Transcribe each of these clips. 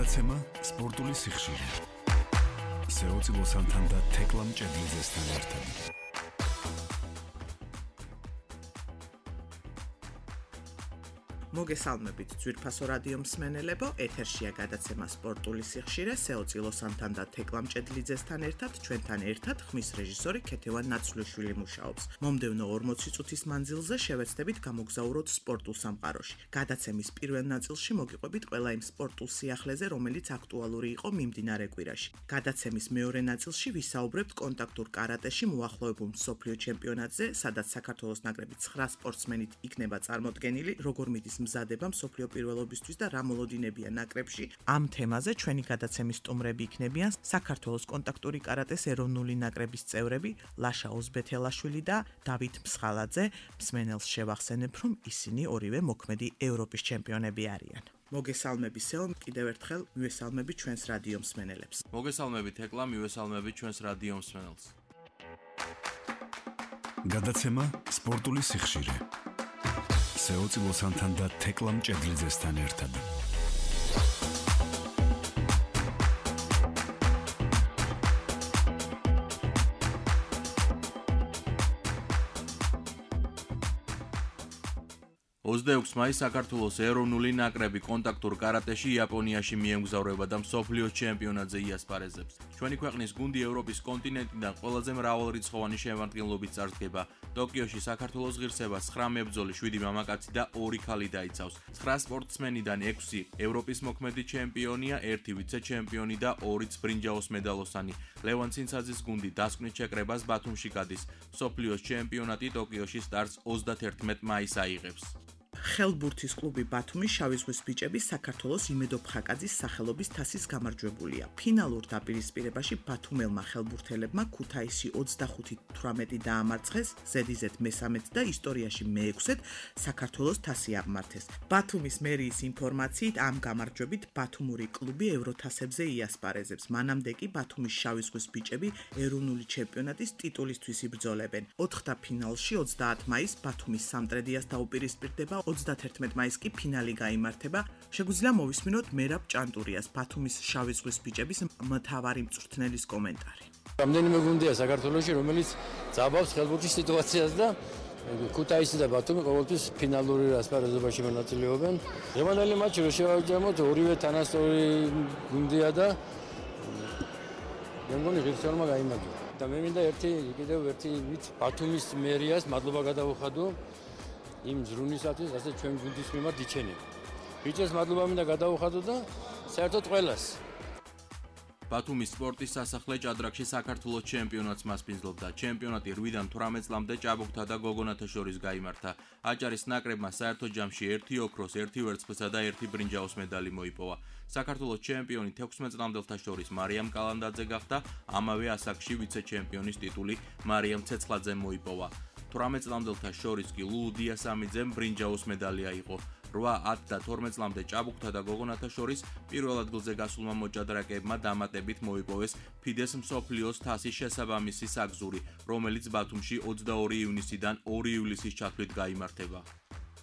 გადაცემა სპორტული სიხშირე. სეოცილო სანთანდა თეკლა მჭედლიძესთან ერთად. მოგესალმებით ძვირფასო რადიო მსმენელებო, ეთერშია გადაცემა სპორტული სიხშირე, სეოცილო სანთანდა თეკლა მჭედლიძესთან ერთად, ჩვენთან ერთად ხმის რეჟისორი ქეთევან ნაცვლიშვილი მუშაობს. მომდევნო 40 წუთის მანძილზე შევეცდებით გამოგზაუროთ სპორტულ სამყაროში. გადაცემის პირველ ნაწილში მოგიყვებით ყველა იმ სპორტულ სიახლეზე, რომელიც აქტუალური იყო მიმდინარე კვირაში. გადაცემის მეორე ნაწილში ვისაუბრებთ კონტაქტურ კარატეში მოახლოებულ მსოფლიო ჩემპიონატზე, სადაც საქართველოს ნაკრები 9 სპორტსმენით იქნება წარმოდგენილი, როგორ მიდის მზადება მსოფლიო პირველობისთვის და რა მოლოდინებია ნაკრებში. ამ თემაზე ჩვენი გადაცემის სტუმრები იქნებიან საქართველოს კონტაქტური კარატეს ეროვნული ნაკრების წევრები ლაშა ოზბეთელაშვილი და დავით მსხალაძე. მსმენელს შევახსენებ, რომ ისინი ორივე მოქმედი ევროპის ჩემპიონები არიან. მოგესალმები სეო, კიდევ ერთხელ მივესალმები ჩვენს რადიო მსმენელებს. მოგესალმებით ეკლა, მივესალმებით ჩვენს რადიო მსმენელს. გადაცემა სპორტული სიხშირე. სეოცილო სანთანდა თეკლა მჭედლიძესთან ერთად. ოცდაექვსი მაისს საქართველოს ეროვნული ნაკრები კონტაქტურ კარატეში იაპონიაში მიემგზავრება და მსოფლიო ჩემპიონატზე იასპარეზებს. ჩვენი ქვეყნის გუნდი ევროპის კონტინენტიდან ყველაზე მრავალრიცხოვანი შემადგენლობით წარდგება. ტოკიოში საქართველოს ღირსება 9 მებრძოლი, 7 მამაკაცი და 2 ქალი დაიცავს. 9 სპორტსმენიდან 6 ევროპის მოქმედი ჩემპიონია, 1 ვიცე-ჩემპიონი და 2 ბრინჯაოს მედალოსანი. ლევან ცინცაძის გუნდი დასკვნით შეკრებას ბათუმში გადის. მსოფლიოს ჩემპიონატი ტოკიოში სტარტს 31 მაისს აიღებს. ხელბურთის კლუბი ბათუმის შავი ზღვის ბიჭები საქართველოს იმედო ფხაკაძის სახელობის თასის გამარჯვებულია. ფინალურ დაპირისპირებაში ბათუმელმა ხელბურთელებმა ქუთაისი 25-18 დაამარცხეს, ზედიზედ მესამედ და ისტორიაში მე-6-ად საქართველოს თასი აღმართეს. ბათუმის მერიის ინფორმაციით ამ გამარჯვებით ბათუმური კლუბი ევროთასებზე იასპარეზებს. მანამდე კი ბათუმის შავი ზღვის ბიჭები ეროვნული ჩემპიონატის ტიტულისთვის იბრძოლებენ. 4-ფინალში 30 მაისს ბათუმის სამტრედიას დაუპირისპირდება, 31 მაისს კი ფინალი გაიმართება. შეგვიძლია მოვისმინოთ მერაბ ჭანტურიას, ბათუმის შავი ზღვის ბიჭების მთავარი მწვრთნელის კომენტარი. რამდენიმე გუნდია საქართველოში, რომელიც ძაბავს ხელბურთის სიტუაციას და ქუთაისი და ბათუმი ყოველთვის ფინალური ასპარეზობაში მონაწილეობენ. დღევანდელი მატჩი რო შევაჯამოთ, ორივე თანასწორი გუნდია და მე მგონი ღირსეულმა გაიმარჯვა. და მე მინდა კიდევ ერთი ბათუმის მერიას მადლობა გადავუხადო იმ ზრუნისათვის, ასე ჩვენ გუნდის მიმართ იჩენენ. ბიჭებს მადლობა მინდა გადავუხადო და საერთოდ ყველას. ბათუმის სპორტის სასახლე ჭადრაკში საქართველოს ჩემპიონატს მასპინძლობდა. ჩემპიონატი 8-დან 18 წლამდე ჭაბუკთა და გოგონათა შორის გაიმართა. აჭარის ნაკრებმა საერთო ჯამში 1 ოქროს, 1 ვერცხლისა და 1 ბრინჯაოს medali მოიპოვა. საქართველოს ჩემპიონი 16 წლამდელთა შორის მარიამ კალანდაძე გახდა, ამავე ასაკში ვიცე-ჩემპიონის ტიტული მარიამ ცეცხლაძემ მოიპოვა. 18 წლამდელთა შორის კი ლულუ დიასამიძემ ბრინჯაოს medali აიღო. 8, 10 და 12 წლამდე ჭაბუკთა და გოგონათა შორის პირველ ადგილზე გასულმა მოჭადრაკეებმა დამატებით მოიპოვეს ფიდეს მსოფლიოს თასის შესაბამისი საგზური, რომელიც ბათუმში 22 ივნისიდან 2 ივლისის ჩათვლით გაიმართება.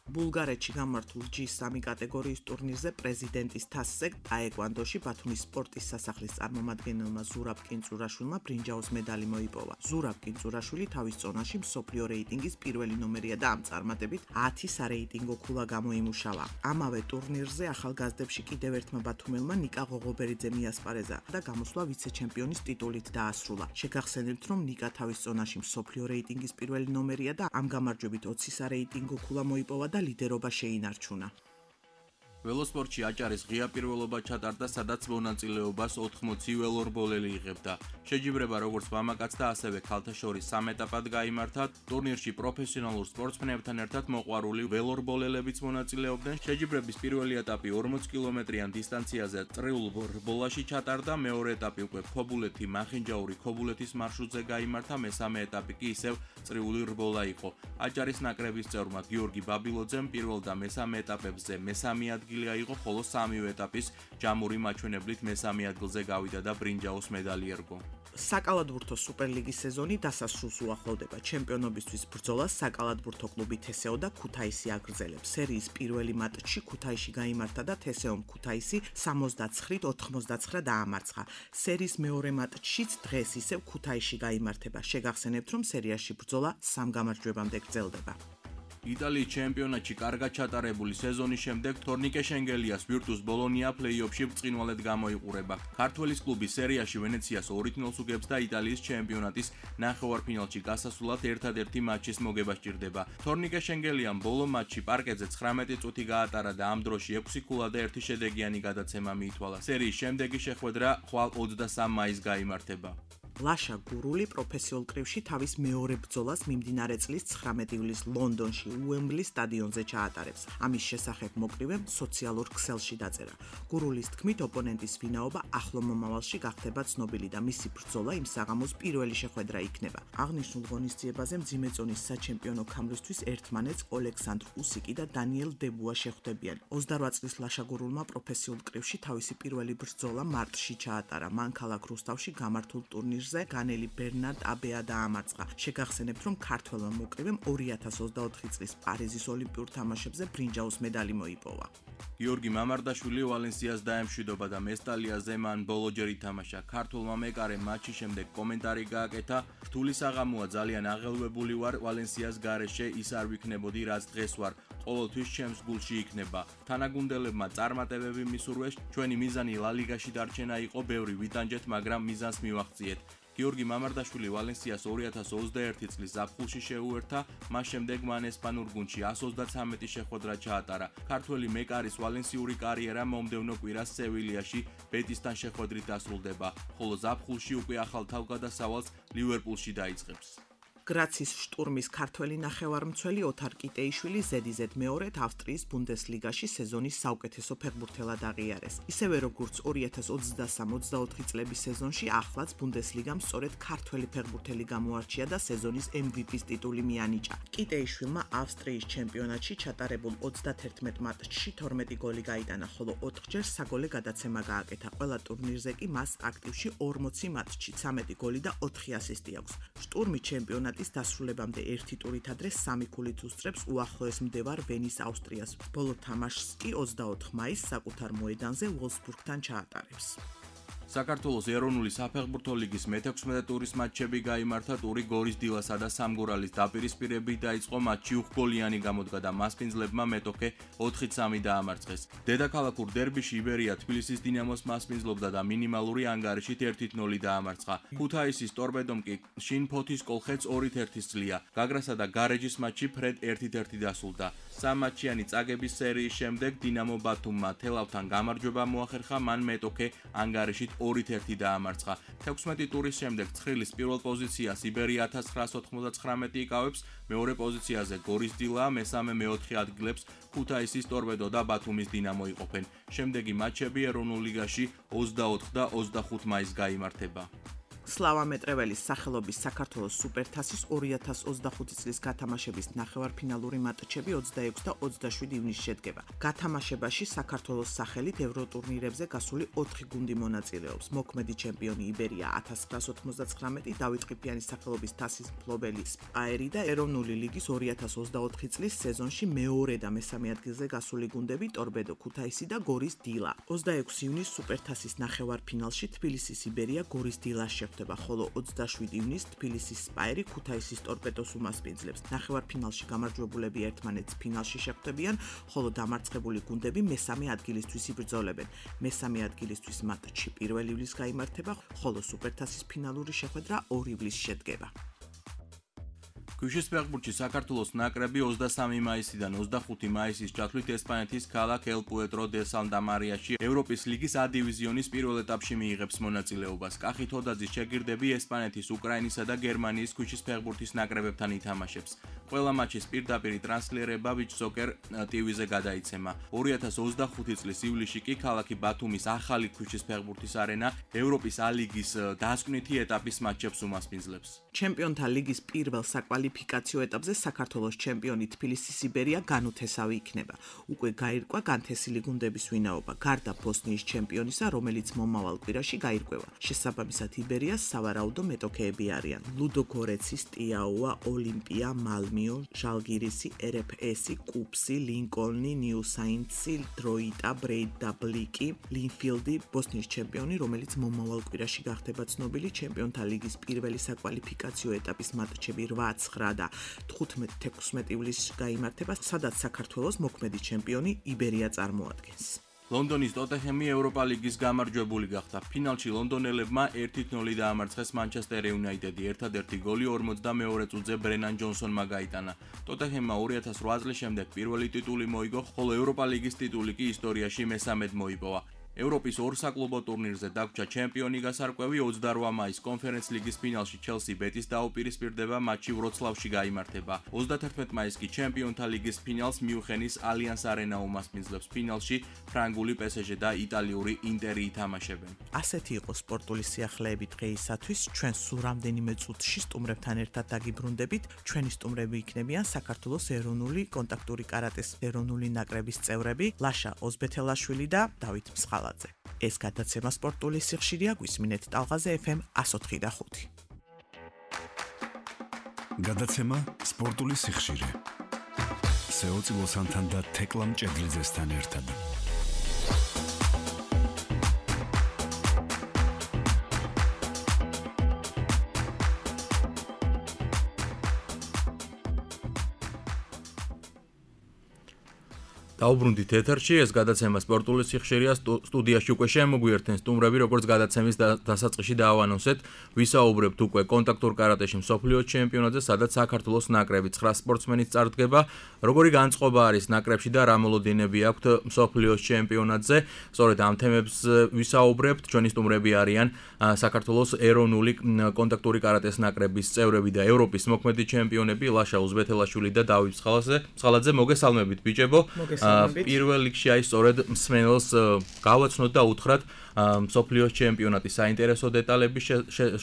ბულგარეთში გამართულ G3 კატეგორიის ტურნირზე პრეზიდენტის თასზე ტაეკვანდოში ბათუმის სპორტის სასახლის წარმომადგენელმა ზურაბ კინწურაშვილმა ბრინჯაოს medali მოიპოვა. ზურაბ კინწურაშვილი თავის წონაში მსოფლიო რეიტინგის პირველი ნომერია და ამ წარმატებით 10 სარეიტინგო ქულა გამოიმუშავა. ამავე ტურნირზე ახალგაზრდებში კიდევ ერთმა ბათუმელმა ნიკა ღოღობერიძემ იასპარეზა და გამოსვლა ვიცე-ჩემპიონის ტიტულით დაასრულა. შეგახსენებთ, რომ ნიკა თავის წონაში მსოფლიო რეიტინგის პირველი ნომერია და ამ გამარჯვებით 20 სარეიტინგო ქულა მოიპოვა და ლიდერობა შეინარჩუნა. ველოსპორტში აჭარის ღია პირველობა ჩატარდა, სადაც მონაწილეობას 80 ველორბოლელი იღებდა. შეჯიბრება როგორც მამაკაც და ასევე ქალთა შორის 3 ეტაპად გაიმართა. ტურნირში პროფესიონალურ სპორტსმენებთან ერთად მოყვარული ველორბოლელებიც მონაწილეობდნენ. შეჯიბრების პირველი ეტაპი 40 კილომეტრიან დისტანციაზე წრიულ რბოლაში ჩატარდა, მეორე ეტაპი უკვე ქობულეთი მახინჯაური ქობულეთის მარშრუტზე გაიმართა, მესამე ეტაპი კი ისევ წრიული რბოლა იყო. აჭარის ნაკრების წევრმა გიორგი ბაბილოძემ პირველ და მესამე ეტაპებზე მესამე ადგილი აიღო, ხოლო სამივე ეტაპის ჯამური მაჩვენებლით მესამე ადგილზე გავიდა და ბრინჯაოს medali ერგო. საკალათბურთო სუპერლიგის სეზონი დასასრულს უახლოვდება. ჩემპიონობისთვის ბრძოლას საკალათბურთო კლუბი თესეო და ქუთაისი აგრძელებს. სერიის პირველი მატჩი ქუთაისში გაიმართა და თესეომ ქუთაისი 69-89 დაამარცხა. სერიის მეორე მატჩიც დღეს ისევ ქუთაისში გაიმართება. შეგახსენებთ, რომ სერიაში ბრძოლა 3 გამარჯვებამდე გრძელდება. იტალიის ჩემპიონატში კარგად ჩატარებული სეზონის შემდეგ თორნიკე შენგელიას ვირტუს ბოლონია პლეი-ოფში ბრწყინვალედ გამოიყურება. ქართველის კლუბი სერიაში ვენეციას 2-0 უგებს და იტალიის ჩემპიონატის ნახევარფინალში გასასვლელად ერთადერთი მატჩის მოგება სჭირდება. თორნიკე შენგელიამ ბოლო მატჩი პარკეტზე 19 წუთი გაატარა და ამ დროში 6 ქულა და 1 შედეგიანი გადაცემა მიითვალა. სერიის შემდეგი შეხვედრა ხვალ 23 მაისს გაიმართება. ლაშა გურული პროფესიულ კრივში თავის მეორე ბრძოლას მიმდინარე წლის 19 ივლისს ლონდონში უემბლის სტადიონზე ჩაატარებს. ამის შესახებ მოკრივემ სოციალურ ქსელში დაწერა. გურულის თქმით, ოპონენტის ვინაობა ახლო მომავალში გახდება ცნობილი და მისი ბრძოლა იმ საღამოს პირველი შეხვედრა იქნება. აღნიშნულ ღონისძიებაზე მძიმე ზონის საჩემპიონო ქამრისთვის ერთმანეთს ოლექსანდრ უსიკი და დანიელ დებუა შეხვდებიან. 28 წლის ლაშა გურულმა პროფესიულ კრივში თავისი პირველი ბრძოლა მარტში ჩაატარა. მან ქალაქ რუსთავში გამართულ ტურნირში განელი ბერნარდ აბეა დაამარცხა. შეგახსენებთ, რომ ქართველმა მოკრივემ 2024 წლის პარიზის ოლიმპიურ თამაშებზე ბრინჯაოს medali მოიპოვა. გიორგი მამარდაშვილი ვალენსიას დაემშვიდობა და მესტალიაზე მან ბოლოჯერ ითამაშა. ქართველმა მეკარემ მატჩის შემდეგ კომენტარი გააკეთა: "რთული საღამოა, ძალიან აღელვებული ვარ ვალენსიას გარეშე, ის არ ვიქნებოდი, რაც დღეს ვარ. ყოველთვის ჩემს გულში იქნება. თანაგუნდელებმა წარმატებები მისურვეს, ჩვენი მიზანი ლალიგაში დარჩენა იყო, ბევრი ვიტანჯეთ, მაგრამ მიზანს მივაღწიეთ." გიორგი მამარდაშვილი ვალენსიას 2021 წლის ზაფხულში შეუერთა, მას შემდეგ მან ესპანურ გუნდში 133 შეხვედრა ჩაატარა. ქართველი მეკარის ვალენსიური კარიერა მომდევნო კვირას სევილიაში ბეტისთან შეხვედრით დასრულდება, ხოლო ზაფხულში უკვე ახალ თავგადასავალს ლივერპულში დაიწყებს. გრაცის შტურმის ქართველი ნახევარმცველი ოთარ კიტეიშვილი ზედიზედ მეორედ ავსტრიის ბუნდესლიგაში სეზონის საუკეთესო ფეხბურთელად აღიარეს. ისევე როგორც 2023-24 წლების სეზონში ახლაც ბუნდესლიგამ სწორედ ქართველი ფეხბურთელი გამოარჩია და სეზონის MVP-ს ტიტული მიანიჭა. კიტეიშვილმა ავსტრიის ჩემპიონატში ჩატარებულ 31 მატჩში 12 გოლი გაიტანა, ხოლო 4ჯერ საგოლე გადაცემა გააკეთა. ყველა ტურნირზე კი მას აქტივში 40 მატჩში 13 გოლი და 4 ასისტი აქვს. შტურმი ჩემპიონატ ის დასრულებამდე ერთი ტურით ადრე 3 ქულით უსწრებს უახლოეს მდებარ ვენის ავსტრიას. ბოლო თამაშს კი 24 მაისს საკუთარ მოედანზე ვოლსბურგთან ჩაატარებს. საქართველოს ეროვნული საფეხბურთო ლიგის მე-16 ტურის მატჩები გაიმართა. ტური გორის დილასა და სამგურალის დაპირისპირებით დაიწყო. მატჩი უხგოლიანი გამოდგა და მასპინძლებმა მეტოქე 4-3 დაამარცხეს. დედაქალაქურ დერბიში იბერია თბილისის დინამოს მასპინძლობდა და მინიმალური ანგარიშით 1-0 დაამარცხა. ქუთაისის ტორპედომ კი შინფოთის კოლხეთს 2-1 სძლია. გაგრასა და გარეჯის მატჩი ფრედ 1-1 დასრულდა. სამმატჩიანი წაგების სერიის შემდეგ დინამო ბათუმმა თელავთან გამარჯვება მოახერხა, მან მეტოქე ანგარიშით 2-1 დაამარცხა. 16 ტურის შემდეგ ცხრილის პირველ პოზიციას იბერია 1999 იკავებს, მეორე პოზიციაზე გორის დილა, მესამე მეოთხე ადგილებს ქუთაისის ტორპედო და ბათუმის დინამო იყოფენ. შემდეგი მატჩები ეროვნულ ლიგაში 24 და 25 მაისს გაიმართება. სლავა მეტრეველის სახელობის საქართველოს სუპერთასის 2025 წლის გათამაშების ნახევარფინალური მატჩები 26 და 27 ივნისში შედგება. გათამაშებაში საქართველოს სახელით ევროტურნირებზე გასული 4 გუნდი მონაწილეობს. მოქმედი ჩემპიონი იბერია 1999, დავით ყიფიანის სახელობის თასის მფლობელი სპაერი და ეროვნული ლიგის 2024 წლის სეზონში მეორე და მესამე ადგილზე გასული გუნდები ტორპედო, ქუთაისი და გორის დილა. 26 ივნისს სუპერთასის ნახევარფინალში თბილისის იბერია გორის დილას ხოლო 27 ივნისს თბილისის სპაერი ქუთაისის ტორპედოს უმასპინძლებს. ნახევარფინალში გამარჯვებულები ერთმანეთს ფინალში შეხვდებიან, ხოლო დამარცხებული გუნდები მესამე ადგილისთვის იბრძოლებენ. მესამე ადგილისთვის მატჩი 1 ივლისს გაიმართება, ხოლო სუპერთასის ფინალური შეხვედრა 2 ივლისს შედგება. ქვიშის ფეხბურთში საქართველოს ნაკრები 23 მაისიდან 25 მაისის ჩათვლით ესპანეთის ქალაქ ელ პუეტრო დე სანტა მარიაში ევროპის ლიგის A დივიზიონის პირველ ეტაპში მიიღებს მონაწილეობას. კახი თოდაძის შეგირდები ესპანეთის, უკრაინისა და გერმანიის ქვიშის ფეხბურთის ნაკრებებთან ითამაშებს. ყველა მატჩის პირდაპირი ტრანსლირება ვიჩსოკერ TV-ზე გადაიცემა. 2025 წლის ივლისში კი ქალაქი ბათუმის ახალი ქვიშის ფეხბურთის არენა ევროპის A ლიგის დასკვნითი ეტაპის მატჩებს უმასპინძლებს. ჩემპიონთა ლიგის პირველ საკვალიფიკაციო საკვალიფიკაციო ეტაპზე საქართველოს ჩემპიონი თბილისის იბერია განუთესავი იქნება. უკვე გაირკვა განთესილი გუნდების ვინაობა, გარდა ბოსნიის ჩემპიონისა, რომელიც მომავალ კვირაში გაირკვევა. შესაბამისად იბერიას სავარაუდო მეტოქეები არიან: ლუდოგორეცი, სტიაუა, ოლიმპია, მალმიო, ჟალგირისი, RFS, კუპსი, ლინკოლნი, ნიუ-საინცი, დროიტა, ბრეიდაბლიკი, ლინფილდი, ბოსნიის ჩემპიონი, რომელიც მომავალ კვირაში გახდება ცნობილი, ჩემპიონთა ლიგის პირველი საკვალიფიკაციო ეტაპის მატჩები 8, 9 და 15-16 ივლისს გაიმართება, სადაც საქართველოს მოქმედი ჩემპიონი იბერია წარმოადგენს. ლონდონის ტოტენჰემი ევროპა ლიგის გამარჯვებული გახდა. ფინალში ლონდონელებმა 1-0 დაამარცხეს მანჩესტერ იუნაიტედი. ერთადერთი გოლი 42 წუთზე ბრენან ჯონსონმა გაიტანა. ტოტენჰემმა 2008 წლის შემდეგ პირველი ტიტული მოიგო, ხოლო ევროპა ლიგის ტიტული კი ისტორიაში მესამედ მოიპოვა. ევროპის ორ საკლუბო ტურნირზე დაგვრჩა ჩემპიონი გასარკვევი 28 მაისს კონფერენს ლიგის ფინალში ჩელსი ბეტის დაუპირისპირდება, მატჩი ვროცლავში გაიმართება. 31 მაისს კი ჩემპიონთა ლიგის ფინალს მიუნხენის ალიანს არენა უმასპინძლებს. ფინალში ფრანგული PSG და იტალიური ინტერი ითამაშებენ. ასეთი იყო სპორტული სიახლეები დღეისათვის. ჩვენ სულ რამდენიმე წუთში სტუმრებთან ერთად დაგიბრუნდებით. ჩვენი სტუმრები იქნებიან საქართველოს ეროვნული კონტაქტური კარატეს ეროვნული ნაკრების წევრები ლაშა ოზბეთელაშვილი და დავით მსხალაძე. ეს გადაცემა სპორტული სიხშირეა, გვისმინეთ ტალღაზე FM 104.5. გადაცემა სპორტული სიხშირე. სეოცილოსანთან და თეკლა მჭედლიძესთან ერთად. დაუბრუნდით ეთერში, ეს გადაცემა სპორტული სიხშირეა, სტუდიაში უკვე შემოგვიერთენ სტუმრები, როგორც გადაცემის დასაწყისში დაავანონსეთ, ვისაუბრებთ უკვე კონტაქტურ კარატეში მსოფლიოს ჩემპიონატზე, სადაც საქართველოს ნაკრები 9 სპორტსმენით წარდგება, როგორი განწყობა არის ნაკრებში და რა მოლოდინები აქვთ მსოფლიოს ჩემპიონატზე. სწორედ ამ თემებს ვისაუბრებთ, ჩვენი სტუმრები არიან საქართველოს ეროვნული კონტაქტური კარატეს ნაკრების წევრები და ევროპის მოქმედი ჩემპიონები ლაშა ოზბეთელაშვილი და დავით მსხალაძე. მოგესალმებით ბიჭებო. პირველ რიგში აი სწორედ მსმენელს გავაცნოთ და უთხრათ მსოფლიოს ჩემპიონატის საინტერესო დეტალების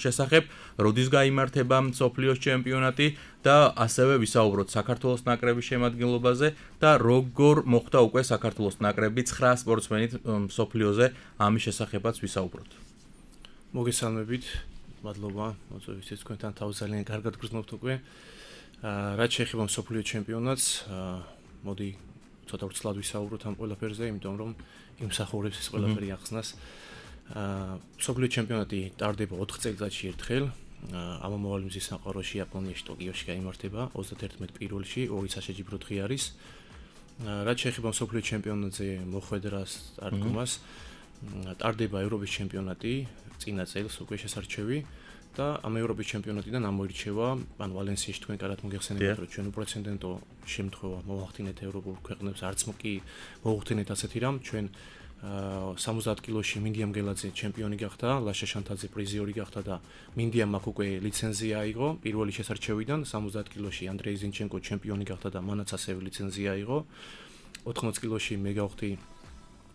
შესახებ, როდის გაიმართება მსოფლიოს ჩემპიონატი და ასევე ვისაუბროთ საქართველოს ნაკრების შემადგენლობაზე და როგორ მოხდა უკვე საქართველოს ნაკრები 9 სპორტსმენით მსოფლიოზე, ამის შესახებაც ვისაუბროთ. მოგესალმებით, მადლობა, მოწვევისთვის, თქვენთან თავი ძალიან კარგად გრძნობთ უკვე. რაც შეეხება მსოფლიოს ჩემპიონატს, მოდი ცოტა ვრცლად ვისაუბროთ ამ ყველაფერზე, იმიტომ რომ იმსახურებს ეს ყველაფერი ახსნას. მსოფლიოს ჩემპიონატი ტარდება 4 წელიწადში ერთხელ. ამომავალი მზის სამყაროში იაპონიაში ტოკიოში გაიმართება 31 პირველში, 2 საშეჯიბრო დღე არის. რაც შეეხება მსოფლიოს ჩემპიონატზე მოხვედრას, წარდგომას, ტარდება ევროპის ჩემპიონატი წინა წელს უკვე შესარჩევი და ამ ევროპის ჩემპიონატიდან ამოირჩევა, ან ვალენსიაში თქვენ კარგად მოგეხსენებათ, რომ ჩვენ უპრეცედენტო შემთხვევა მოვახდინეთ ევროპულ ქვეყნებს, არც კი მოვახდინეთ ასეთი რამ, ჩვენ 70 კილოში მინდია მგელაძე ჩემპიონი გახდა, ლაშა შანთაძე პრიზიორი გახდა და მინდია მაქვს უკვე ლიცენზია აიღო პირველი შესარჩევიდან, 70 კილოში ანდრეი ზინჩენკო ჩემპიონი გახდა და მანაც ასევე ლიცენზია აიღო. 80 კილოში მე გავხდი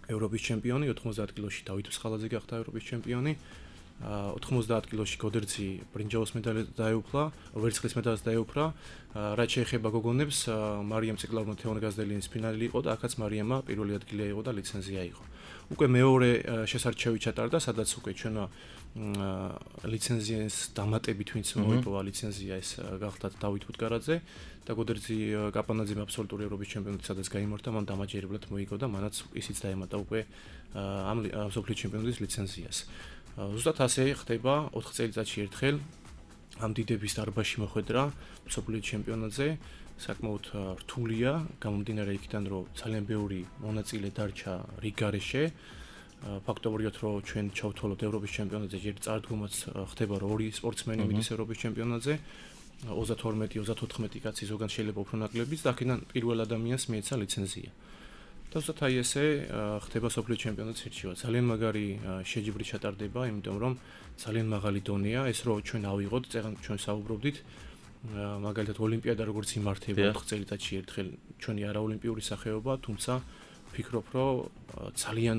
ევროპის ჩემპიონი, 90 კილოში დავით მსხალაძე გახდა ევროპის ჩემპიონი. 90 კილოში გოდერძი ბრინჯაოს მედალს დაეუფლა, ვერცხლის მედალს დაეუფლა. რაც შეეხება გოგონებს, მარიამ ციკლავნა თეონგაზდელინის ფინალი იყო და აქაც მარიამა პირველი ადგილი აიღო და ლიცენზია აიღო. უკვე მეორე შესარჩევი ჩატარდა, სადაც უკვე ჩვენო ლიცენზიის დამატებით ვინც მოიპოვა ლიცენზია, ეს გახდა დავით ბუტკარაძე და გოდერძი კაპანაძემ აბსოლუტური ევროპის ჩემპიონატი სადაც გაიმართა, მან დამაჯერებლად მოიგო და მანაც ისიც დაემატა უკვე ამ მსოფლიოს ჩემპიონატის ლიცენზიას. ზუსტად ასე ხდება 4 წელიწადში ერთხელ ამ დიდების დარბაზში მოხვედრა მსოფლიოს ჩემპიონატზე, საკმაოდ რთულია, გამომდინარე იქიდან, რომ ძალიან ბევრი მონაწილე დარჩა რიგ გარეშე. ფაქტობრივად, რომ ჩვენ ჩავთვალოთ ევროპის ჩემპიონატზე, ჯერ წარდგომაც ხდება, რომ 2 სპორტსმენი მიდის ევროპის ჩემპიონატზე, 32-34 კაცი ზოგან შეიძლება უფრო ნაკლებიც და აქედან პირველ ადამიანს მიეცა ლიცენზია. და ზუსტად აი ესე ხდება მსოფლიოს ჩემპიონატის ირჩევა. ძალიან მაგარი შეჯიბრი ჩატარდება, იმიტომ რომ ძალიან მაღალი დონეა, ეს რო ჩვენ ავიღოთ, ჩვენ საუბრობდით, მაგალითად ოლიმპიადა როგორც იმართება 4 წელიწადში ერთხელ, ჩვენი არაოლიმპიური სახეობა, თუმცა ვფიქრობ, რომ ძალიან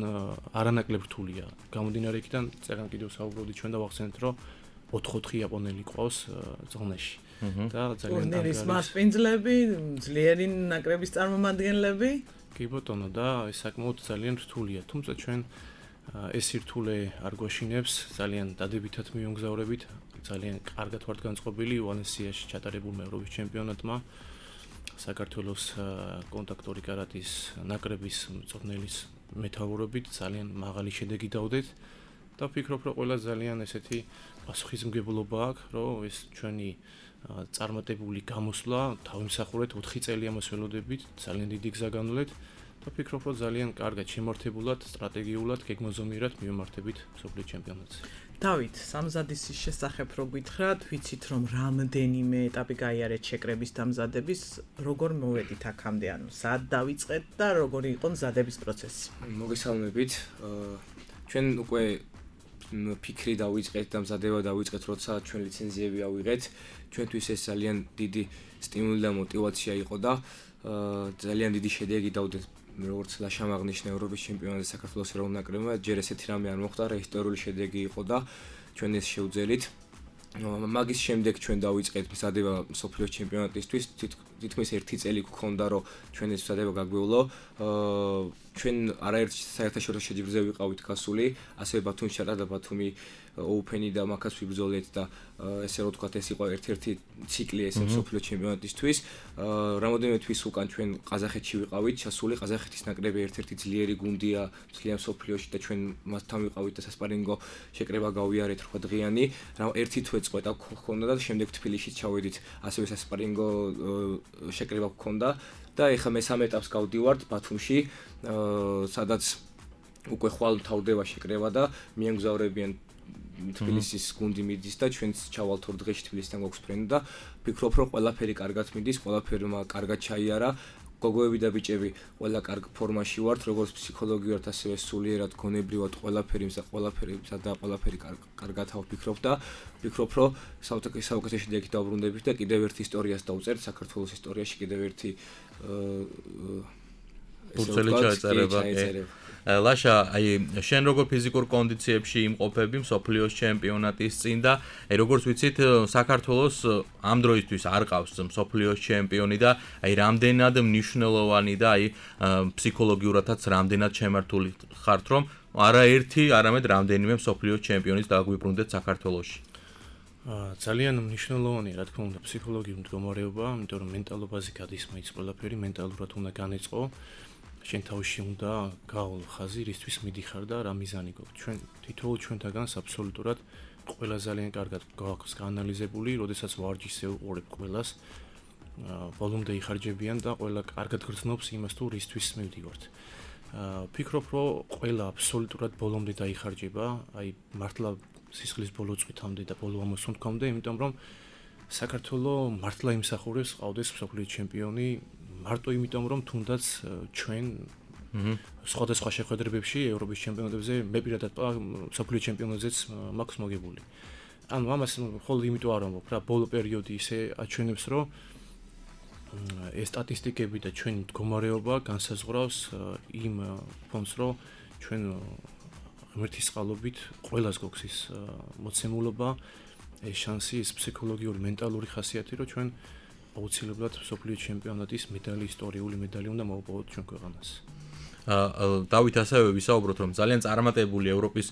არანაკლებ რთულია. გამომდინარე იქიდან, წერან კიდევ საუბრობდით ჩვენ და ვახსენეთ, რომ 4 იაპონელი ყავს ზონაში. და ძალიან ტურნირის მასპინძლები, ძლიერი ნაკრების წარმომადგენლები. კი ბატონო და ეს საკმაოდ ძალიან რთულია, თუმცა ჩვენ ეს სირთულე არ გვაშინებს, ძალიან დადებითად მივამგზავრებით, ძალიან კარგად ვართ განწყობილი ვალენსიაში ჩატარებულმა ევროპის ჩემპიონატმა. საქართველოს კონტაქტური კარატის ნაკრების მწვრთნელის მეთაურობით ძალიან მაღალი შედეგი დავდეთ და ვფიქრობ, რომ ყველა ძალიან ესეთი პასუხისმგებლობა აქვს, რომ ეს ჩვენი წარმატებული გამოსვლა თავიმსახურეთ 4 წელი ამას ველოდებით, ძალიან დიდი გზა განვლეთ და ვფიქრობ, რომ ძალიან კარგად შემართებულად, სტრატეგიულად, გეგმოზომიერად მივმართებით მსოფლიო ჩემპიონატს. დავით, სამზადისის შესახებ რო გითხრათ, ვიცით რომ რამდენიმე ეტაპი გაიარეთ შეკრების დამზადების, როგორ მოვედით აქამდე, ანუ სად დავიწყეთ და როგორი იყო მზადების პროცესი? მოგესალმებით. ჩვენ უკვე ფიქრი დავიწყეთ და მზადება დავიწყეთ, როცა ჩვენ ლიცენზიები ავიღეთ. ჩვენთვის ეს ძალიან დიდი სტიმული და мотиваცია იყო და ძალიან დიდი შედეგი დავდეთ. როგორც ლაშამ აღნიშნა ევროპის ჩემპიონატზე საქართველოს ეროვნულ ნაკრებმა, ჯერ ესეთი რამე არ მოხდა, რა ისტორიული შედეგი იყო და ჩვენ ეს შევძელით. მაგის შემდეგ ჩვენ დავიწყეთ მზადება მსოფლიოს ჩემპიონატისთვის, თითქმის 1 წელი გქონდა, რომ ჩვენ ეს მზადება გაგვევლო. ჩვენ არაერთ საერთაშორისო შეჯიბრზე ვიყავით გასული, ასევე ბათუმში ჩატარდა და ბათუმი Open-ი და მაგას ვიბრძოლეთ და ესე რომ ვთქვათ, ეს იყო ერთ-ერთი ციკლი ეს მსოფლიო ჩემპიონატისთვის. რამოდენიმე თვის უკან ჩვენ ყაზახეთში ვიყავით, ჩასული ყაზახეთის ნაკრები ერთ-ერთი ძლიერი გუნდია მთლიან მსოფლიოში და ჩვენ მასთან ვიყავით და სასპარინგო შეკრება გავიარეთ 8 დღიანი. ერთი თვე წყვეტა გქონდა და შემდეგ თბილისში ჩავედით, ასევე სასპარინგო შეკრება გქონდა და ეხლა მესამე ეტაპს გავდივართ ბათუმში, სადაც უკვე ხვალ თავდება შეკრება და მიემგზავრებიან თბილისის გუნდი მიდის და ჩვენც ჩავალთ 2 დღეში თბილისთან გვაქვს ფრენა და ვფიქრობ, რომ ყველაფერი კარგად მიდის, ყველაფერმა კარგად ჩაიარა. გოგოები და ბიჭები ყველა კარგ ფორმაში ვართ, როგორც ფსიქოლოგიურად, ასევე სულიერად, გონებრივად, ყველაფერი კარგად ვფიქრობ და ვფიქრობ, რომ საუკეთესო შედეგი დავბრუნდებით და კიდევ ერთ ისტორიას დავწერთ საქართველოს ისტორიაში, კიდევ ერთი ფურცელი ჩაეწერება. ლაშა, აი შენ როგორ ფიზიკურ კონდიციებში იმყოფები მსოფლიოს ჩემპიონატის წინ და აი როგორც ვიცით, საქართველოს ამ დროისთვის არ ყავს მსოფლიოს ჩემპიონი და აი რამდენად მნიშვნელოვანი და აი ფსიქოლოგიურადაც რამდენად შემართული ხართ, რომ არა ერთი, არამედ რამდენიმე მსოფლიოს ჩემპიონის დაგვიბრუნდეთ საქართველოში. ძალიან მნიშვნელოვანია, რა თქმა უნდა, ფსიქოლოგიური მდგომარეობა, იმიტომ რომ მენტალობაზე გადის მაინც ყველაფერი, მენტალურად უნდა განეწყო. შენ თავში უნდა გაავლო ხაზი, რისთვის მიდიხარ და რა მიზანი გვაქვს. ჩვენ თითოეულ ჩვენთაგანს აბსოლუტურად ყველა ძალიან კარგად გვაქვს გაანალიზებული, როდესაც ვარჯიშზე უყურებ ყველას, ბოლომდე იხარჯებიან და ყველა კარგად გრძნობს იმას თუ რისთვის მივდივართ. ვფიქრობ, რომ ყველა აბსოლუტურად ბოლომდე დაიხარჯება, აი მართლა სისხლის ბოლო წვითამდე და ბოლო ამოსუნთქვამდე, იმიტომ რომ საქართველოს მართლა იმსახურებს ყავდეს მსოფლიო ჩემპიონი, მარტო იმიტომ რომ თუნდაც ჩვენ სხვადასხვა შეხვედრებებში ევროპის ჩემპიონატებზე მე პირადად მსოფლიო ჩემპიონატზეც მაქვს მოგებული. ანუ ამას მხოლოდ იმიტომ არ ამბობ რა, ბოლო პერიოდი ისე აჩვენებს, რომ ეს სტატისტიკები და ჩვენი მდგომარეობა განსაზღვრავს იმ ფონს, რომ ჩვენ ღმერთის წყალობით ყველას გვაქვს ის მოცემულობა, ეს შანსი, ეს ფსიქოლოგიური, მენტალური ხასიათი, რომ ჩვენ აუცილებლად მსოფლიო ჩემპიონატის медали, ისტორიული медали უნდა მოვაპოვოთ ჩვენ ქვეყანას. დავით ასევე ვისაუბროთ, რომ ძალიან წარმატებული ევროპის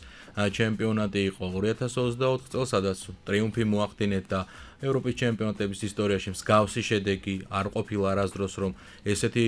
ჩემპიონატი იყო 2024 წელს, სადაც ტრიუმფი მოახდინეთ და ევროპის ჩემპიონატების ისტორიაში მსგავსი შედეგი არ ყოფილა არასდროს, რომ ესეთი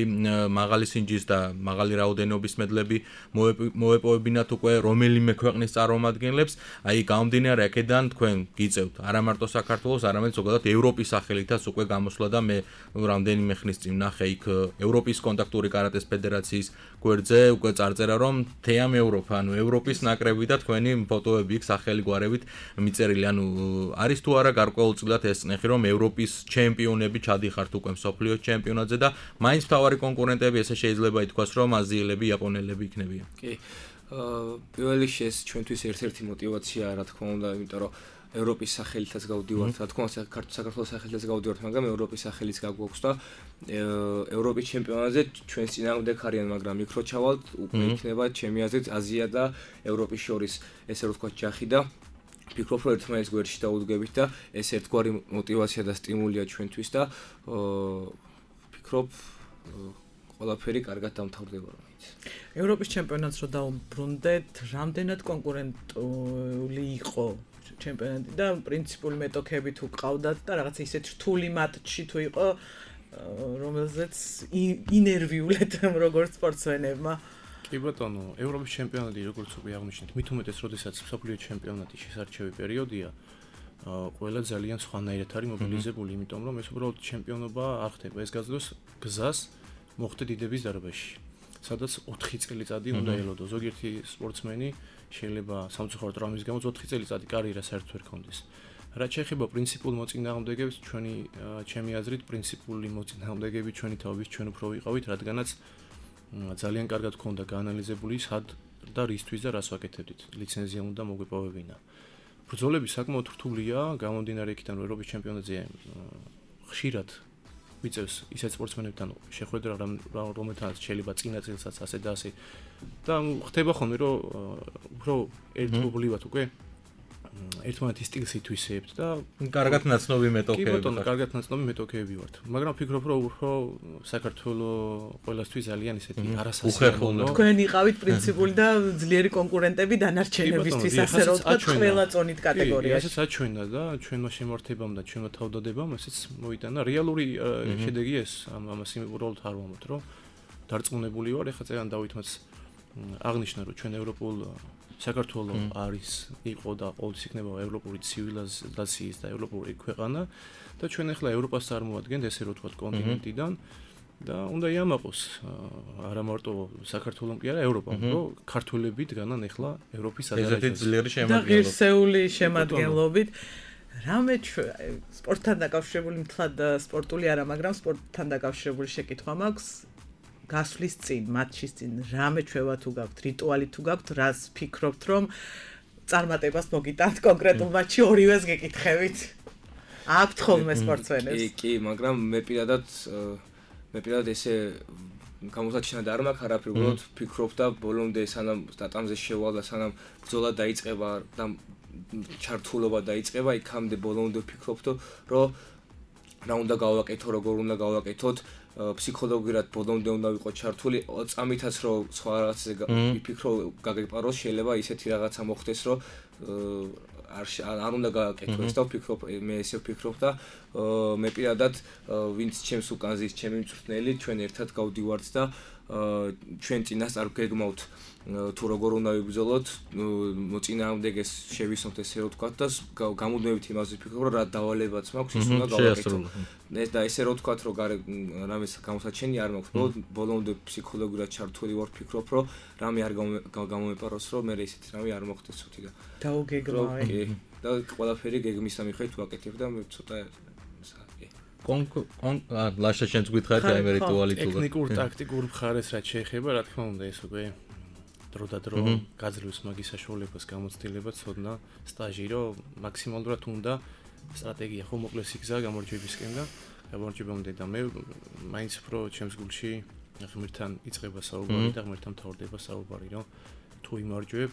მაღალი სინჯის და მაღალი რაოდენობის მედლები მოეპოვებინათ უკვე რომელიმე ქვეყნის წარმომადგენლებს. აი გამომდინარე აქედან თქვენ გიწევთ არა მარტო საქართველოს, არამედ ზოგადად ევროპის სახელითაც უკვე გამოსვლა და მე რამდენიმე ხნის წინ ნახე იქ ევროპის კონტაქტური კარატეს ფედერაციის გვერდზე უკვე წარწერა, რომ თეამ ევროპა, ანუ ევროპის ნაკრები და თქვენი ფოტოები იქ სახელი გვარებით მიწერილი. ანუ არის თუ არა გარკვეულწილად ეს ნახე, რომ ევროპის ჩემპიონები ჩადიხართ უკვე მსოფლიოს ჩემპიონატზე და მაინც მთავარი კონკურენტები ესე შეიძლება ითქვას, რომ აზიელები, იაპონელები იქნებიან. კი. პირველ რიგში ეს ჩვენთვის ერთ-ერთი мотиваციაა, რა თქმა უნდა, იმიტომ რომ ევროპის სახელითაც გავდივართ, რა თქმა უნდა, საქართველოს სახელითაც გავდივართ, მაგრამ ევროპის სახელიც გაგვაქვს და ევროპის ჩემპიონატზე ჩვენს წინააღმდეგ არიან, მაგრამ იქ რო ჩავალთ, უკვე იქნება ჩემი აზრით აზია და ევროპის შორის, ესე რომ ვთქვათ, ჯახი და ფიქრობ, რომ ერთმანეთის გვერდში დაუდგებით და ეს ერთგვარი мотиваცია და სტიმულია ჩვენთვის და ფიქრობ ყველაფერი კარგად დამთავრდება რომელიც. ევროპის ჩემპიონატს რო დაუბრუნდეთ, რამდენად კონკურენტული იყო ჩემპიონატი და პრინციპული მეტოქები თუ ყავდათ და რაღაც ისეთ რთული მატჩი თუ იყო, რომელზეც ინერვიულეთ როგორც სპორტსმენებმა. კი ბატონო, ევროპის ჩემპიონატი როგორც უკვე აღნიშნეთ, მით უმეტეს როდესაც მსოფლიო ჩემპიონატი შესარჩევი პერიოდია, ყველა ძალიან სხვანაირად არის მობილიზებული, იმიტომ რომ ეს უბრალოდ ჩემპიონობა არ ხდება, ეს გაძლევს გზას მოხდე დიდების დარბაზში, სადაც 4 წელიწადი უნდა ელოდო. ზოგიერთი სპორტსმენი შეიძლება სამწუხაროდ ტრამვის გამო 4 წელიწადი კარიერა საერთოდ ვერ ქონდეს. რაც შეეხება პრინციპულ მოწინააღმდეგეებს, ჩემი აზრით პრინციპული მოწინააღმდეგეები ჩვენი თავის ჩვენ უფრო ვიყავით, რადგანაც ძალიან კარგად გქონდა გაანალიზებული სად და რისთვის და რას ვაკეთებდით. ლიცენზია უნდა მოგვეპოვებინა. ბრძოლები საკმაოდ რთულია, გამომდინარე იქიდან რომ ევროპის ჩემპიონატზე ხშირად მიწევს ისეთ სპორტსმენებთან შეხვედრა, რომელთანაც შეიძლება წინა წელსაც ასე და ასე და ხდება ხოლმე რომ უფრო ერთობლივად უკვე ერთმანეთის სტილს ითვისებთ და კარგად ნაცნობი მეტოქეები. კი ბატონო, კარგად ნაცნობი მეტოქეები ვართ. მაგრამ ვფიქრობ, რომ უფრო საქართველოს ყველასთვის ძალიან ისეთი არასასიამოვნო. თქვენ იყავით პრინციპული და ძლიერი კონკურენტები დანარჩენებისთვის, ასე რომ ვთქვათ, ყველა წონით კატეგორიაში. ესეც აჩვენა და ჩვენმა შემართებამ და ჩვენმა თავდადებამ ესეც მოიტანა. რეალური შედეგი ეს ამას უბრალოდ არ ვამბობთ, რომ დარწმუნებული ვარ, ეხლა წერან დავითმაც აღნიშნა, რომ ჩვენ ევროპულ საქართველოს არის იყო და ყოველთვის იქნება ევროპული ცივილიზაციის და ევროპული ქვეყანა და ჩვენ ახლა ევროპას წარმოადგენთ ესე რომ ვთქვათ კონტინენტიდან და უნდა იამაყოს არა მარტო საქართველოს კი არა ევროპამ რომ ქართველები დგანან ახლა ევროპის ადარაჟზე. ესეთი ძლიერი შემადგენლობით. და ღირსეული შემადგენლობით. რამე სპორტთან დაკავშირებული მთლად სპორტული არა, მაგრამ სპორტთან დაკავშირებული შეკითხვა მაქვს. გასვლის წინ, მატჩის წინ, რამე ჩვევა თუ გაქვთ, რიტუალი თუ გაქვთ, რას ფიქრობთ, რომ წარმატებას მოგიტანთ კონკრეტულ მატჩში ორივეს გეკითხებით? აქვთ ხოლმე სპორტსმენებს? კი, მაგრამ მე პირადად ესე გამოსაჩინად არ მაქვს არაფერი, უბრალოდ ვფიქრობ და ბოლომდე სანამ სტატამზე შევალ და სანამ ბრძოლა დაიწყება და ჩართულობა დაიწყება, იქამდე ბოლომდე ვფიქრობ, რომ რა უნდა გავაკეთო, როგორ უნდა გავაკეთოთ, ფსიქოლოგიურად ბოლომდე უნდა ვიყო ჩართული, წამითაც რომ სხვა რაღაცზე ვიფიქრო, გაგეპაროს, შეიძლება ისეთი რაღაცა მოხდეს, რომ არ უნდა გააკეთო ეს და ვფიქრობ, მე ესე ვფიქრობ და მე პირადად ვინც ჩემს უკან ზის, ჩემი მწვრთნელი, ჩვენ ერთად გავდივართ და ჩვენ წინასწარ გეგმავთ თუ როგორ უნდა ვიბრძოლოთ, მოწინააღმდეგეს შევისვამთ ესე რომ ვთქვათ და გამუდმებით იმაზე ვფიქრობ, რომ რა დავალებაც მაქვს, ის უნდა გავაკეთო. და ესე რომ ვთქვათ, რომ რამეს გამოსაჩენი არ მაქვს, ბოლომდე ფსიქოლოგიურად ჩართული ვარ, ვფიქრობ, რომ რამე არ გამომეპაროს, რომ მე ისეთი რამე არ მოხდეს ცოტი და დაუგეგმავე. და ყველაფერი გეგმის სამიხით ვაკეთებ და მე ცოტა ლაშა შენც გითხარით აი მე რიტუალი თუ ტექნიკურ ტაქტიკურ მხარეს რაც შეეხება, რა თქმა უნდა, ეს უკვე დრო და დრო გაძლევს მაგის საშუალებას, გამოცდილება, ცოდნა, სტაჟი, რომ მაქსიმალურად უნდა სტრატეგია ხო მოკლეს იგზა გამარჯვებისკენ და გამარჯვებამდე და მე მაინც უფრო ჩემს გულში ღმერთთან იწყება საუბარი და ღმერთთან მთავრდება საუბარი, რომ თუ იმარჯვებ,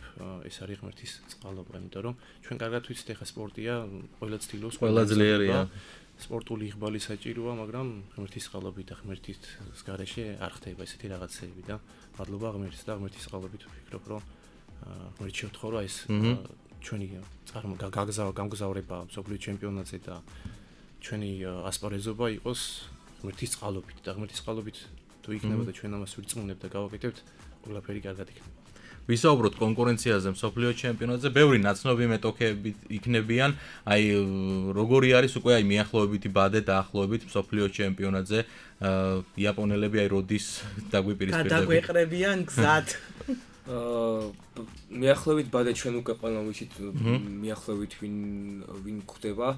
ეს არის ღმერთის წყალობა, იმიტომ რომ ჩვენ კარგად ვიცით, ეხა სპორტია, ყველა ცდილობს, ყველა ძლიერია. სპორტული იღბალი საჭიროა, მაგრამ ღმერთის წყალობით და ღმერთის გარეშე არ ხდება ესეთი რაღაცები და მადლობა ღმერთს და ღმერთის წყალობით ვფიქრობ, რომ ღმერთი შევთხოვა ეს ჩვენი გამგზავრება მსოფლიო ჩემპიონატზე და ჩვენი ასპარეზობა იყოს ღმერთის წყალობით და ღმერთის წყალობით თუ იქნება და ჩვენ ამას ვირწმუნებთ და გავაკეთებთ, ყველაფერი კარგად იქნება. ვისაუბროთ კონკურენციაზე მსოფლიო ჩემპიონატზე, ბევრი ნაცნობი მეტოქეები იქნებიან, აი როგორი არის უკვე აი მიახლოებითი ბადე დაახლოებით მსოფლიო ჩემპიონატზე, იაპონელები აი როდის დაგვიპირისპირდნენ? გადაგვეყრებიან გზად. მიახლოებით ბადე ჩვენ უკვე ყველა ვიცით მიახლოებით ვინ ხვდება.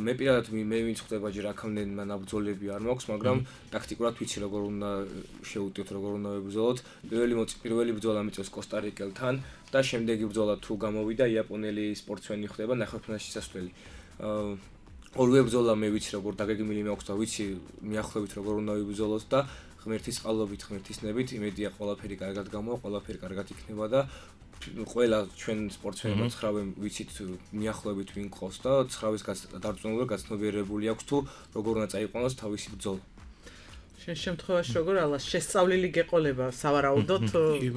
მე პირადად მე ვინც ხვდება ჯერ აქამდე ნაბრძოლები არ მაქვს, მაგრამ ტაქტიკურად ვიცი როგორ უნდა შევუტევთ, როგორ უნდა ვიბრძოლოთ. პირველი ბრძოლა მიწევს კოსტა-რიკელთან და შემდეგი ბრძოლა თუ გამოვიდა იაპონელი სპორტსმენი ხდება ნახევარფინალში წასვლელი. ორივე ბრძოლა მე ვიცი როგორ დაგეგმილი მაქვს და ვიცი მიახლოებით როგორ უნდა ვიბრძოლოთ და ღმერთის წყალობით, ღმერთის ნებით, იმედია ყველაფერი კარგად გამოვა, ყველაფერი კარგად იქნება და ყველა ჩვენ სპორტსმენებმა 9 ვიცით მიახლოებით ვინ ყავს და 9-ის დარწმუნებული გაცნობიერებული აქვს თუ როგორ უნდა წაიყვანოს თავისი ბრძოლა. შენ შემთხვევაში როგორ ალას შესწავლილი გეყოლება სავარაუდოდ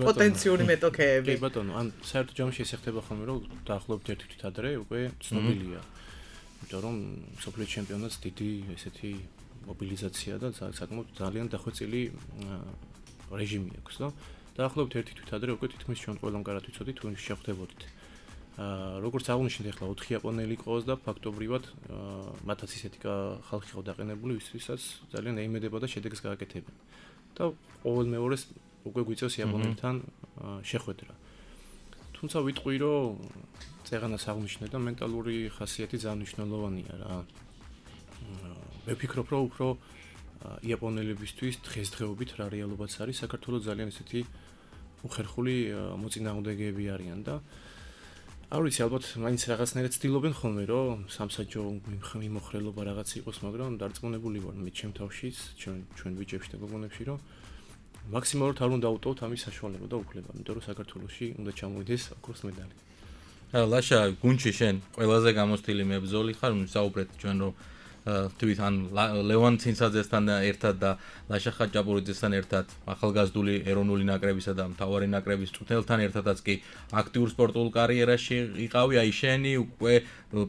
პოტენციური მეტოქეები. კი ბატონო, ან საერთო ჯამში ეს ხდება ხოლმე რომ დაახლოებით ერთი თვით ადრე უკვე ცნობილია. იმიტომ რომ სოფლიო ჩემპიონატს დიდი ესეთი მობილიზაცია და საკმაოდ ძალიან დახვეწილი რეჟიმი აქვს და დაახლოებით ერთი თვით ადრე უკვე თითქმის ჩვენ ყველამ კარად ვიცოდით თუ შეხვდებოდით. როგორც აღნიშნეთ ახლა 4 იაპონელი ყავს და ფაქტობრივად მათაც ისეთი ხალხი ყავ დაყენებული ვისაც ძალიან ეიმედება და შედეგს გააკეთებენ. და ყოველ მეორეს უკვე გვიწევს იაპონელთან შეხვედრა. თუმცა ვიტყვი რომ წეღანას აღნიშნე და მენტალური ხასიათი ძალიან მნიშვნელოვანია რა. მე ვფიქრობ რომ უფრო იაპონელებისთვის დღესდღეობით რა რეალობაც არის საქართველოს ძალიან ესეთი უხერხული მოწინააღმდეგეები არიან და არ ვიცი ალბათ მაინც რაღაცნაირად ცდილობენ ხოლმე რომ სამსაჯო მიმოხრელობა რაღაც იყოს მაგრამ დარწმუნებული ვარ მე ჩემ თავშიც ჩვენ ბიჭებში და გოგონებში რომ მაქსიმალურად არ უნდა დავუტოვოთ ამის საშუალება და უფლება იმიტომ რომ საქართველოში უნდა ჩამოვიდეს ოქროს медаლი. ლაშა გუნჩი შენ ყველაზე გამოცდილი მებრძოლი ხარ საუბრეთ ჩვენ რომ თვით ან ლევან ცინცაძესთან ერთად და ლაშა ხაჭაპურიძესთან ერთად ახალგაზრდული ეროვნული ნაკრებისა და მთავარი ნაკრების წვრთნელთან ერთადაც კი აქტიურ სპორტულ კარიერაში იყავი აი შენი უკვე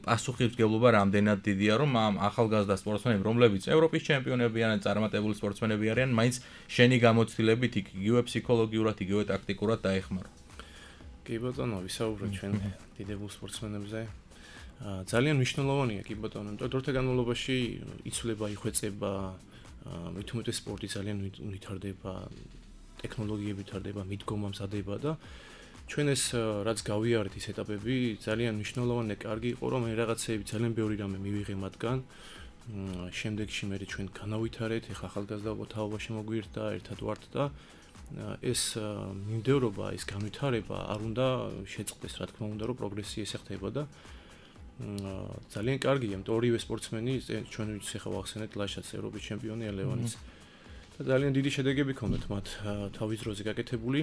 პასუხისმგებლობა რამდენად დიდია რომ ამ ახალგაზრდა სპორტსმენები რომლებიც ევროპის ჩემპიონები ან წარმატებული სპორტსმენები არიან მაინც შენი გამოცდილებით იგივე ფსიქოლოგიურად იგივე ტაქტიკურად დაეხმარო. კი ბატონო ვისაუბრეთ ჩვენ დიდებულ სპორტსმენებზე. ძალიან მნიშვნელოვანია კი ბატონო, იმიტომ რომ დროთა განმავლობაში იცვლება, იხვეწება, მით უმეტეს სპორტი ძალიან ვითარდება, ტექნოლოგიები ვითარდება, მიდგომა მზადება და ჩვენ ეს რაც გავიარეთ ის ეტაპები ძალიან მნიშვნელოვანია, კარგი იყო რომ მე რაღაცეები ძალიან ბევრი რამე მივიღე მათგან. შემდეგში მე ჩვენ განავითარეთ, ეხლა ახალგაზრდა თაობაში მოგვიერთა, ერთად ვართ და ეს მიმდევრობა, ეს განვითარება არ უნდა შეწყდეს, რა თქმა უნდა, რომ პროგრესი ესე ხდება და ძალიან კარგია, იმიტომ ორივე სპორტსმენი ჩვენ ვიცით ახლა ვახსენეთ ლაშაც ევროპის ჩემპიონია ლევანიც და ძალიან დიდი შედეგები ჰქონდათ მათ თავის დროზე გაკეთებული.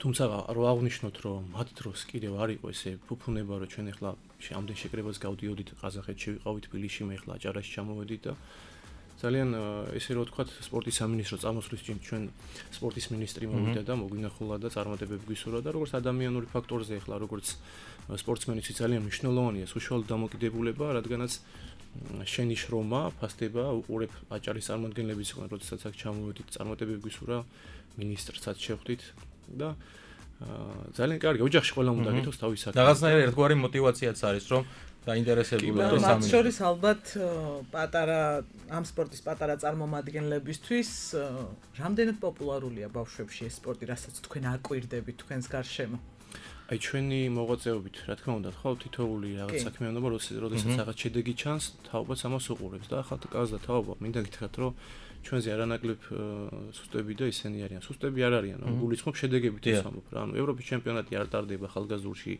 თუმცა რო აღნიშნოთ რომ მათ დროს კიდევ არ იყო ესე ფუფუნება რომ ჩვენ ახლა ამდენ შეკრებას გავდიოდით ყაზახეთში ვიყავით თბილისში მე ახლა აჭარაში ჩამოვედით და ძალიან ესე რომ ვთქვათ სპორტის სამინისტრო წამოსვლის წინ ჩვენ სპორტის მინისტრი მოვიდა და მოგვინახულა და წარმატებები გვისურვა და როგორც ადამიანური ფაქტორზე ახლა როგორც სპორტსმენიც ძალიან მნიშვნელოვანია საშუალო დამოკიდებულება რადგანაც შენი შრომა ფასდება უყურებ აჭარის წარმომადგენლების იყვნენ როდესაც აქ ჩამოვედით წარმატებები გვისურვა მინისტრსაც შეხვდით და ძალიან კარგი ოჯახში ყველამ უნდა გითხოვს თავის საქმე. რაღაცნაირად ერთგვარი мотиваციაც არის რომ დაინტერესებული და მათ შორის ალბათ პატარა ამ სპორტის პატარა წარმომადგენლებისთვის რამდენად პოპულარულია ბავშვებში ეს სპორტი, რასაც თქვენ აკვირდებით თქვენს გარშემო? აი ჩვენი მოღვაწეობით, რა თქმა უნდა, ხო თითოეული რაღაც საქმიანობა, როდესაც რაღაც შედეგი ჩანს, თაობაც ამას უყურებს და ახლა კაცდა თაობა, მინდა გითხრათ, რომ ჩვენზე არანაკლებ სუსტები და ისინი არიან. სუსტები არ არიან, გულისხმობ შედეგებით ვსამობ რა. ანუ ევროპის ჩემპიონატი არ ტარდება ხალგაზურში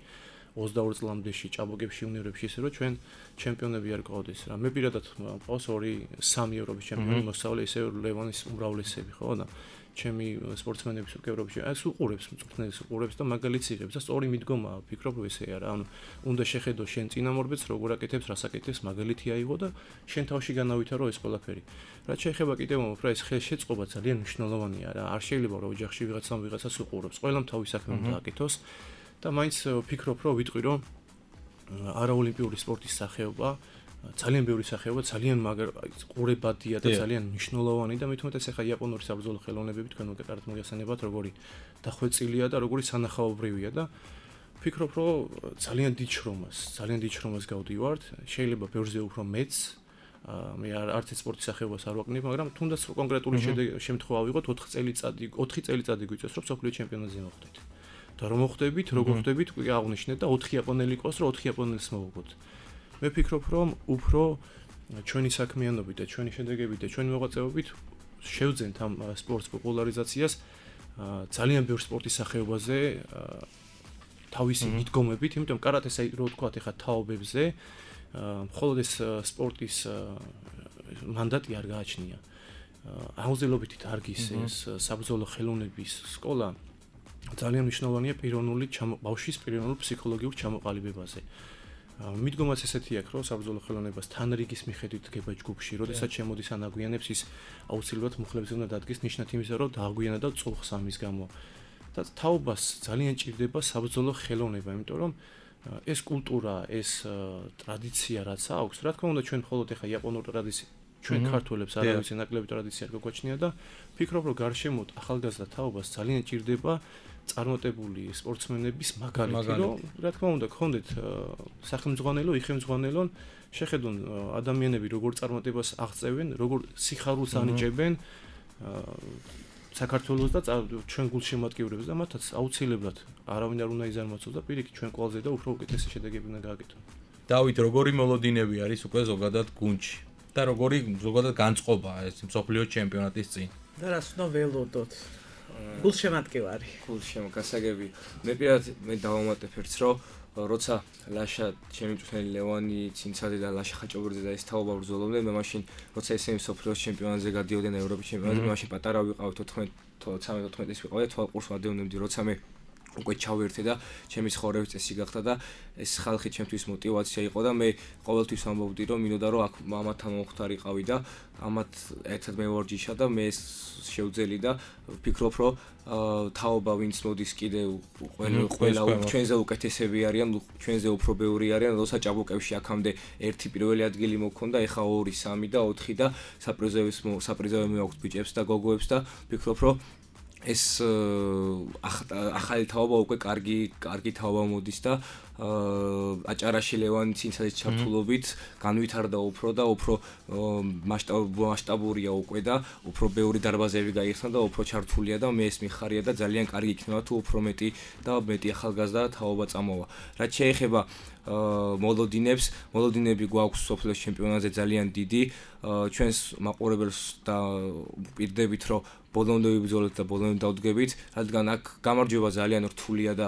22 წლამდეში ჭაბუკებში უნიორებში ისე რომ ჩვენ ჩემპიონები არ ყავდეს რა. მე პირადად მყავს 2-3 ევროპის ჩემპიონი მოსწავლე ისე ლევანის უმრავლესები ხო და ჩემი სპორტსმენების უკვე ევროპაში ეს უყურებს მწვრთნელს უყურებს და მაგალითს იღებს და სწორი მიდგომაა ვფიქრობ ესეა რა. ანუ უნდა შეხედო შენ წინამორბედს როგორ აკეთებს რას აკეთებს მაგალითი აიღო და შენ თავში განავითარო ეს ყველაფერი. რაც შეეხება კიდევ უფრო ეს ხელშეწყობა ძალიან მნიშვნელოვანია რა. არ შეიძლება რომ ოჯახში ვიღაცას უყურებს. ყველამ თავის საქმე უნდა აკეთოს. და მაინც ვფიქრობ რომ ვიტყვი რომ არაოლიმპიური სპორტის სახეობა ძალიან ბევრი სახეობა ძალიან ყურებადია და ძალიან მნიშვნელოვანი და მით უმეტეს ახლა იაპონური საბრძოლო ხელოვნებები თქვენ უკეთად მოგეხსენებათ როგორი დახვეწილია და როგორი სანახაობრივია და ვფიქრობ რომ ძალიან დიდ შრომას გავდივართ შეიძლება ბევრზე უფრო მეც მე არც ეს სპორტის სახეობას არ ვაკნებ მაგრამ თუნდაც კონკრეტული შემთხვევა ვიღოთ 4 წელიწადი გვიწევს რომ სოფლიო ჩემპიონატზე მოხვდეთ და რომ მოხვდებით როგორ ხვდებით კი აღნიშნეთ და 4 იაპონელი ყავს რომ 4 იაპონელს მოვუგოთ მე ვფიქრობ რომ უფრო ჩვენი საქმიანობით და ჩვენი შედეგებით და ჩვენი მოღვაწეობით შევძენთ ამ სპორტს პოპულარიზაციას ძალიან ბევრ სპორტის სახეობაზე თავისი მიდგომებით იმიტომ კარატეს აი რო ვთქვათ ეხა თაობებზე მხოლოდ ეს სპორტის მანდატი არ გააჩნია აუზელობითი დარგის ეს საბრძოლო ხელოვნების სკოლა ძალიან მნიშვნელოვანია ბავშვის პიროვნულ ფსიქოლოგიურ ჩამოყალიბებაზე. მიდგომაც ესეთი აქვს, რომ საბრძოლო ხელოვნებას თანრიგის მიხედვით დგება ჯგუფში, როდესაც შემოდის ან აგვიანებს ის აუცილებლად მუხლებზე უნდა დადგეს ნიშნად იმისა, რომ დააგვიანა და წულხს ამის გამო. და თაობას ძალიან ჭირდება საბრძოლო ხელოვნება, იმიტომ რომ ეს კულტურა, ეს ტრადიცია რაც აქვს, რა თქმა უნდა ჩვენ მხოლოდ ეხა იაპონურ ტრადიციას ჩვენ ქართველებს არავის ნაკლები ტრადიცია არ გვაჩნია და ფიქრობ რომ გარშემოთ ახალგაზრდა თაობას ძალიან ჭირდება წარმატებული სპორტსმენების მაგალითი, რომ რა თქმა უნდა გქონდეთ სახელმძღვანელო, იხელმძღვანელონ, შეხედონ ადამიანები როგორ წარმატებას აღწევენ, როგორ სიხარულს ანიჭებენ საქართველოს და ჩვენ გულშემატკივრებს და მათაც აუცილებლად არავინ არ უნდა იზარმაცოს და პირიქით ჩვენ ყველაზე და უფრო უკეთესი შედეგები უნდა გააკეთონ. დავით, როგორი მოლოდინები არის უკვე ზოგადად გუნდში და როგორი ზოგადად განწყობა ეს მსოფლიო ჩემპიონატის წინ? და რას უნდა ველოდოთ? გულშემატკივარი. გასაგები. მე პირადად დავამატებ ერთს, რომ როცა ლაშა ჩემი მწვრთნელი ლევანი ცინცაძე და ლაშა ხაჭობურიძე და ეს თაობა ბრძოლობდნენ, მე მაშინ როცა ესენი მსოფლიოს ჩემპიონატზე გადიოდნენ ევროპის ჩემპიონატზე, მე მაშინ პატარა ვიყავით 13-14 წლის ვიყავი და თვალყურს ვადევნებდი, როცა მე უკვე ჩავერთე და ჩემი ცხოვრების წესი გახდა და ეს ხალხი ჩემთვის мотиваცია იყო და მე ყოველთვის ამბობდი რომ მინდოდა რომ აქ მამათან მომხდარიყავი და ამათ ერთად მე ვორჯიშა და მე შევძელი და ვფიქრობ რომ თაობა ვინც მოდის კიდევ ყველა ჩვენზე უკეთესები არიან, ჩვენზე უფრო ბევრი არიან, როცა ჭაბუკებში აქამდე ერთი პირველი ადგილი მოქონდა, ეხა 2, 3 და 4 და საპრიზები მაქვს ბიჭებს და გოგოებს და ვფიქრობ რომ ეს ახალი თაობა უკვე კარგი თაობა მოდის და აჭარაში ლევანი ცინცაძის ჩართულობით განვითარდა უფრო და უფრო მასშტაბურია უკვე და უფრო ბევრი დარბაზები გაიხსნა და უფრო ჩართულია და მე ეს მიხარია და ძალიან კარგი იქნება თუ უფრო მეტი ახალგაზრდა თაობა წამოვა. რაც შეეხება მოლოდინები გვაქვს სოფლის ჩემპიონატზე ძალიან დიდი, ჩვენს მაყურებელს და ვპირდებით რომ ბოლომდე ვიბრძოლეთ და ბოლომდე დავდგებით, რადგან აქ გამარჯვება ძალიან რთულია და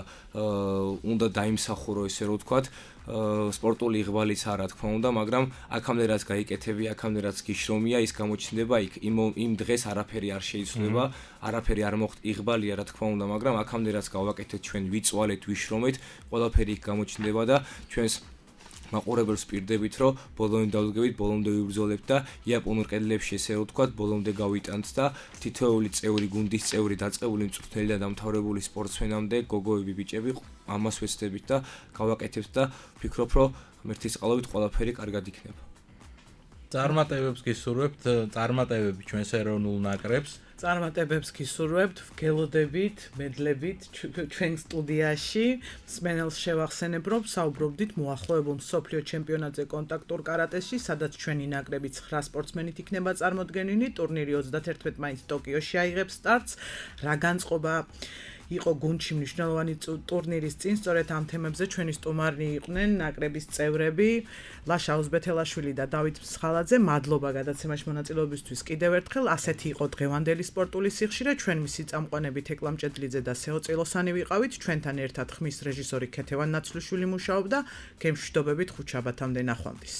უნდა დაიმსახურო ესე რომ ვთქვათ, სპორტული იღბალიც არა თქმა უნდა, მაგრამ აქამდე რაც გაიკეთები, აქამდე რაც გიშრომია, ის გამოჩნდება იქ. იმ დღეს არაფერი არ შეიცვლება, არაფერი არ მოხდა, იღბალია რა თქმა უნდა, მაგრამ აქამდე რაც გავაკეთეთ ჩვენ, ვიწვალეთ, ვიშრომეთ, ყველაფერი იქ გამოჩნდება და ჩვენს მაყურებელს ვპირდებით, რომ ბოლომდე დავდგებით, ბოლომდე ვიბრძოლებთ და იაპონურ კედლებში ესე რომ ვთქვათ, ბოლომდე გავიტანთ და თითოეული წევრი, გუნდის წევრი, დაწყებული მწვრთნელი და დამთავრებული სპორტსმენამდე, გოგოები, ბიჭები, ამას ვეცდებით და გავაკეთებთ და ვფიქრობ, რომ ღმერთის წყალობით ყველაფერი კარგად იქნება. წარმატებებს გისურვებთ, წარმატებები ჩვენს ეროვნულ ნაკრებს. წარმატებებს გისურვებთ, ვგელოდებით, მედლებით ჩვენ სტუდიაში. მსმენელს შევახსენებ, რომ საუბრობდით მოახლოებულ მსოფლიო ჩემპიონატზე კონტაქტურ კარატეში, სადაც ჩვენი ნაკრები 9 სპორტსმენით იქნება წარმოდგენილი. ტურნირი 31 მაისს ტოკიოში აიღებს სტარტს. რა განწყობა იყო გუნდში მნიშვნელოვანი ტურნირის წინ, სწორედ ამ თემებზე ჩვენი სტუმარი იყვნენ ნაკრების წევრები ლაშა ოზბეთელაშვილი და დავით მსხალაძე. მადლობა გადაცემაში მონაწილეობისთვის კიდევ ერთხელ. ასეთი იყო დღევანდელი სპორტული სიხშირე. ჩვენ მისი წამყვანები თეკლამ ჭედლიძე და სეოწილოსანი ვიყავით. ჩვენთან ერთად ხმის რეჟისორი ქეთევან ნაცვლიშვილი მუშაობდა. გემშვიდობებით ხუთშაბათამდე ნახვამდის.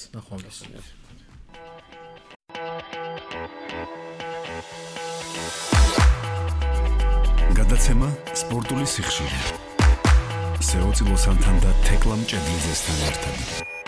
გადაცემა სპორტული სიხშირე. სეოწილოსანთან და თეკლამ ჭედლიძესთან ერთად.